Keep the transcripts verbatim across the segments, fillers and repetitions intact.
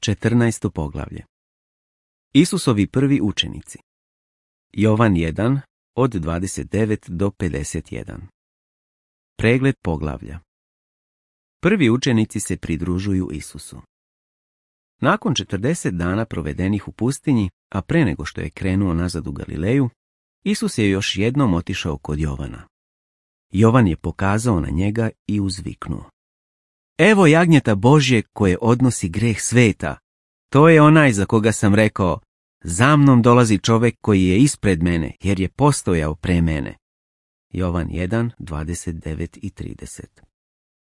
četrnaesto poglavlje. Isusovi prvi učenici. Jovan jedan, od dvadeset devet do pedeset jedan. Pregled poglavlja. Prvi učenici se pridružuju Isusu. Nakon četrdeset dana provedenih u pustinji, a pre nego što je krenuo nazad u Galileju, Isus je još jednom otišao kod Jovana. Jovan je pokazao na njega i uzviknuo: Evo jagnjeta Božje koje odnosi greh sveta. To je onaj za koga sam rekao: za mnom dolazi čovjek koji je ispred mene, jer je postojao pre mene. Jovan jedan, dvadeset devet i trideset.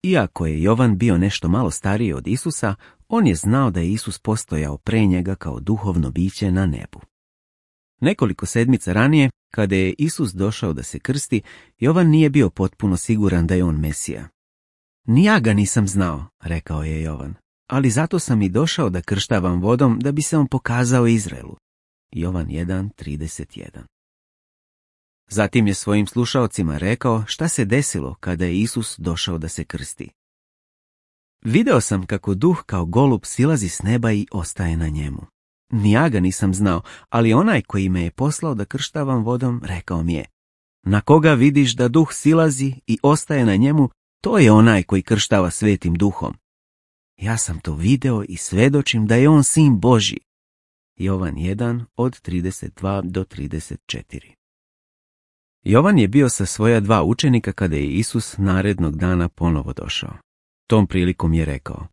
Iako je Jovan bio nešto malo stariji od Isusa, on je znao da je Isus postojao pre njega kao duhovno biće na nebu. Nekoliko sedmica ranije, kada je Isus došao da se krsti, Jovan nije bio potpuno siguran da je on Mesija. Ni ja ga nisam znao, rekao je Jovan, ali zato sam i došao da krštavam vodom da bi se on pokazao Izraelu. Jovan jedan, trideset jedan. Zatim je svojim slušaocima rekao šta se desilo kada je Isus došao da se krsti. Video sam kako duh kao golub silazi s neba i ostaje na njemu. Ni ja ga nisam znao, ali onaj koji me je poslao da krštavam vodom rekao mi je: na koga vidiš da duh silazi i ostaje na njemu, to je onaj koji krštava svetim duhom. Ja sam to video i svedočim da je on sin Božji. Jovan jedan, od trideset dva do trideset četiri. Jovan je bio sa svoja dva učenika kada je Isus narednog dana ponovo došao. Tom prilikom je rekao: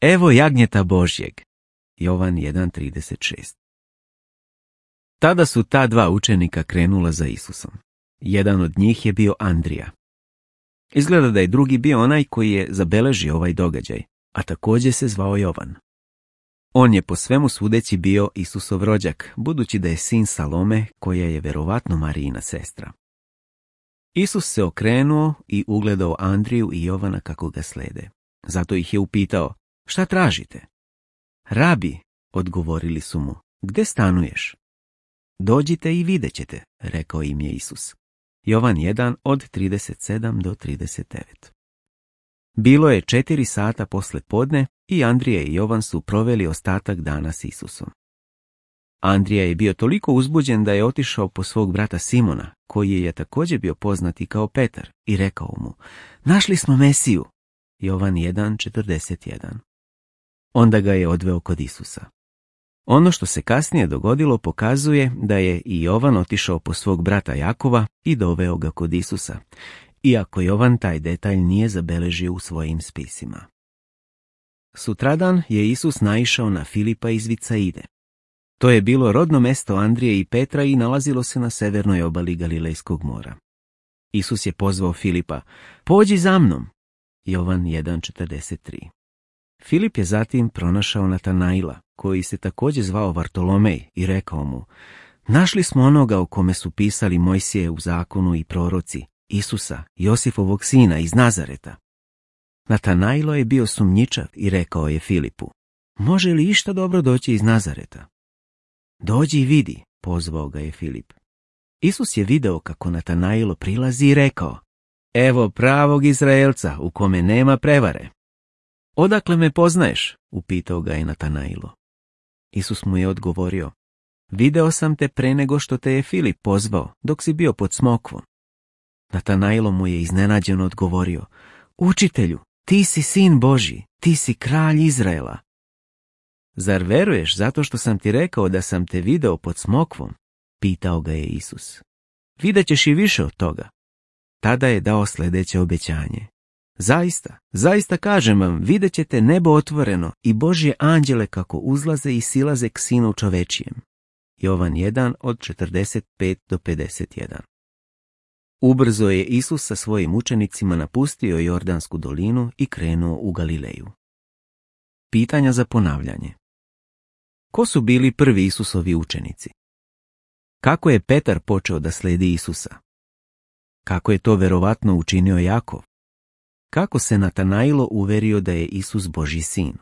evo jagnjeta Božjeg. Jovan jedan, trideset šest. Tada su ta dva učenika krenula za Isusom. Jedan od njih je bio Andrija. Izgleda da je drugi bio onaj koji je zabeležio ovaj događaj, a također se zvao Jovan. On je po svemu sudeći bio Isusov rođak, budući da je sin Salome, koja je verovatno Marijina sestra. Isus se okrenuo i ugledao Andriju i Jovana kako ga slede. Zato ih je upitao: šta tražite? Rabi, odgovorili su mu, gde stanuješ? Dođite i vidjet ćete, rekao im je Isus. Jovan jedan, od trideset sedam do trideset devet. Bilo je četiri sata posle podne i Andrija i Jovan su proveli ostatak dana s Isusom. Andrija je bio toliko uzbuđen da je otišao po svog brata Simona, koji je također bio poznati kao Petar, i rekao mu: našli smo Mesiju. Jovan jedan, četrdeset jedan. Onda ga je odveo kod Isusa. Ono što se kasnije dogodilo pokazuje da je i Jovan otišao po svog brata Jakova i doveo ga kod Isusa, iako Jovan taj detalj nije zabeležio u svojim spisima. Sutradan je Isus naišao na Filipa iz Vicaide. To je bilo rodno mesto Andrije i Petra i nalazilo se na severnoj obali Galilejskog mora. Isus je pozvao Filipa: pođi za mnom. Jovan jedan, četrdeset tri. Filip je zatim pronašao Natanaila, koji se također zvao Vartolomej, i rekao mu: našli smo onoga o kome su pisali Mojsije u zakonu i proroci, Isusa, Josifovog sina iz Nazareta. Natanailo je bio sumnjičav i rekao je Filipu: može li išta dobro doći iz Nazareta? Dođi i vidi, pozvao ga je Filip. Isus je video kako Natanailo prilazi i rekao: evo pravog Izraelca u kome nema prevare. Odakle me poznaješ? Upitao ga je Natanailo. Isus mu je odgovorio: video sam te pre nego što te je Filip pozvao, dok si bio pod smokvom. Natanailo mu je iznenađeno odgovorio: učitelju, ti si sin Božji, ti si kralj Izraela. Zar veruješ zato što sam ti rekao da sam te video pod smokvom? Pitao ga je Isus. Vidjet ćeš i više od toga. Tada je dao sljedeće obećanje: zaista, zaista kažem vam, vidjet ćete nebo otvoreno i Božje anđele kako uzlaze i silaze k sinu čovečijem. Jovan jedan, od četrdeset pet do pedeset jedan. Ubrzo je Isus sa svojim učenicima napustio Jordansku dolinu i krenuo u Galileju. Pitanja za ponavljanje. Ko su bili prvi Isusovi učenici? Kako je Petar počeo da sledi Isusa? Kako je to verovatno učinio Jakov? Kako se Natanailo uverio da je Isus Božji sin?